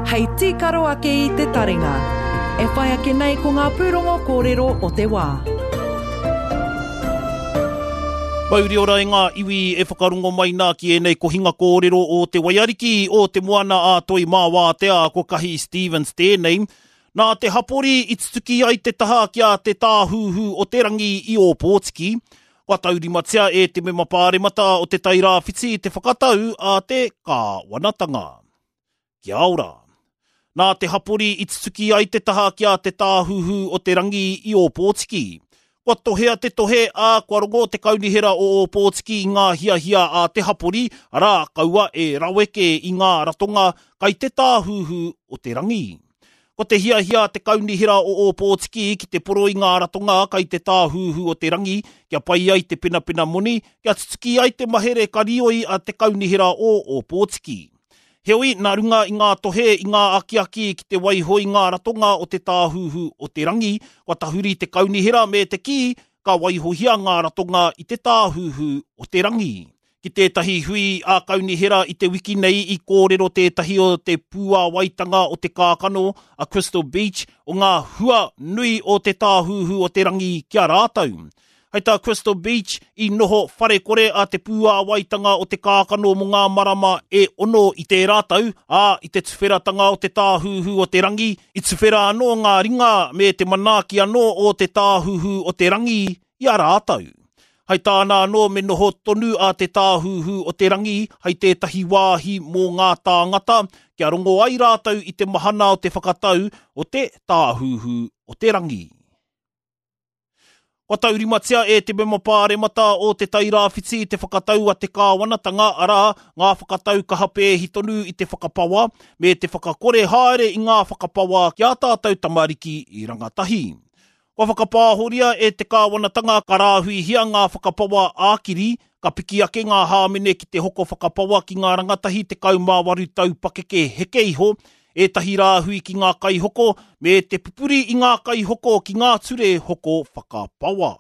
Hei tīkaro ake i te taringa. E whai ake nei ko ngā pūrongo kōrero o te wā. Mauri ora e ngā iwi e whakarongo mai nā ki ēnei kohinga kōrero o Te Waiariki, o Te Moana a Toi Mā Wātea, ko Kahi Stevens tēnei. Nā te hapori i tutuki ai te taha ki a Te Tāhuhu o te Rangi i Ōpōtiki. Kua taurimatia e te mema pāremata o Te Tai Rāwhiti te whakatau a te kāwanatanga. Kia ora. Nā te hapori i tutuki ai te taha ki a Te Tāhuhu o te Rangi i Ōpōtiki. Kua tohea te tohe, ā, kua rongo te Kaunihera o Ōpōtiki i ngā hiahia a te hapori, arā, kaua e raweke i ngā ratonga kai te Tāhuhu o te Rangi. Ko te hiahia a te Kaunihera o Ōpōtiki ki te poro i ngā ratonga kai te Tāhuhu o te Rangi kia pai ai te penapena moni, kia tutuki ai te mahere karioi a te Kaunihera o Ōpōtiki. Heoi, nā runga i ngā tohe, i ngā akiaki ki te waiho i ngā ratonga o te Tāhuhu o te Rangi, kua tahuri te Kaunihera me te kī, ka waihohia ngā ratonga i te Tāhuhu o te Rangi. Ki tētahi hui ā-kaunihera i te wiki nei i kōrero tētahi o te pūāwaitanga o te kākano a Crystal Beach o ngā hua nui o te Tāhuhu o te Rangi ki a rātou. Hei tā Crystal Beach, i noho wharekore a Te Pūāwaitanga o Te Kākano mō ngā marama e ono i tērā tau, ā, i te tuwheratanga o te Tāhuhu o te Rangi, i tuwhera anō ngā ringa me te manaaki anō o te Tāhuhu o te Rangi i a rātou. Hei tāna anō me noho tonu a Te Tāhuhu o te Rangi hei tētahi wāhi mō ngā tāngata kia rongo ai rātou i te mahana o te whakatau o te Tāhuhu o te Rangi. Kua taurimatia e te mema pāremata o Te Tai Rāwhiti te whakatau a te kāwanatanga, arā, ngā whakatau kaha pēhi tonu i te whakapawa, me te whakakore haere i ngā whakapawa ki ā tātou tamariki rangatahi. Kua whakapāhoria e te kāwanatanga ka rāhuihia ngā whakapawa ā-kiri, ka piki ake ngā hāmene ki te hoko whakapawa ki ngā rangatahi 18 tau pakeke heke iho, ētahi rāhui ki ngā kaihoko me te pupuri i ngā kaihoko ki ngā ture hoko whakapawa.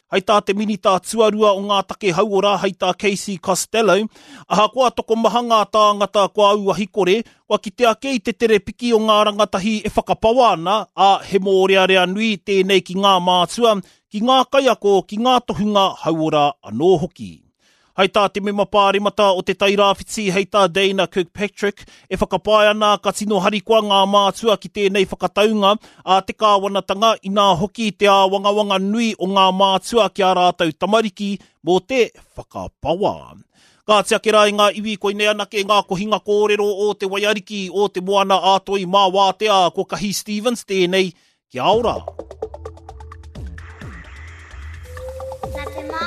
Hei tā te Minita Tuarua o ngā Take Hauora, hei tā Casey Costello, ahakoa tokomaha ngā tāngata kua auahi kore, kua kite ake i te tere piki o ngā rangatahi e whakapawa ana, ā, he mōrearea nui tēnei ki ngā mātua, ki ngā kaiako, ki ngā tohunga hauora anō hoki. Hei tā te mema pāremata o Te Tai Rāwhiti, hei tā Dana Kirkpatrick, e whakapae ana ka tino harikoa ngā mātua ki tēnei whakataunga a te kāwanatanga, inā hoki te āwangawanga nui o ngā mātua ki ā rātou tamariki mō te whakapawa. Kāti ake rā i ngā iwi koinei anake ngā kohinga kōrero o Te Waiariki, o Te Moana a Toi mā Wātea, ko Kahi Stevens tēnei, Kia ora! Nā te mā.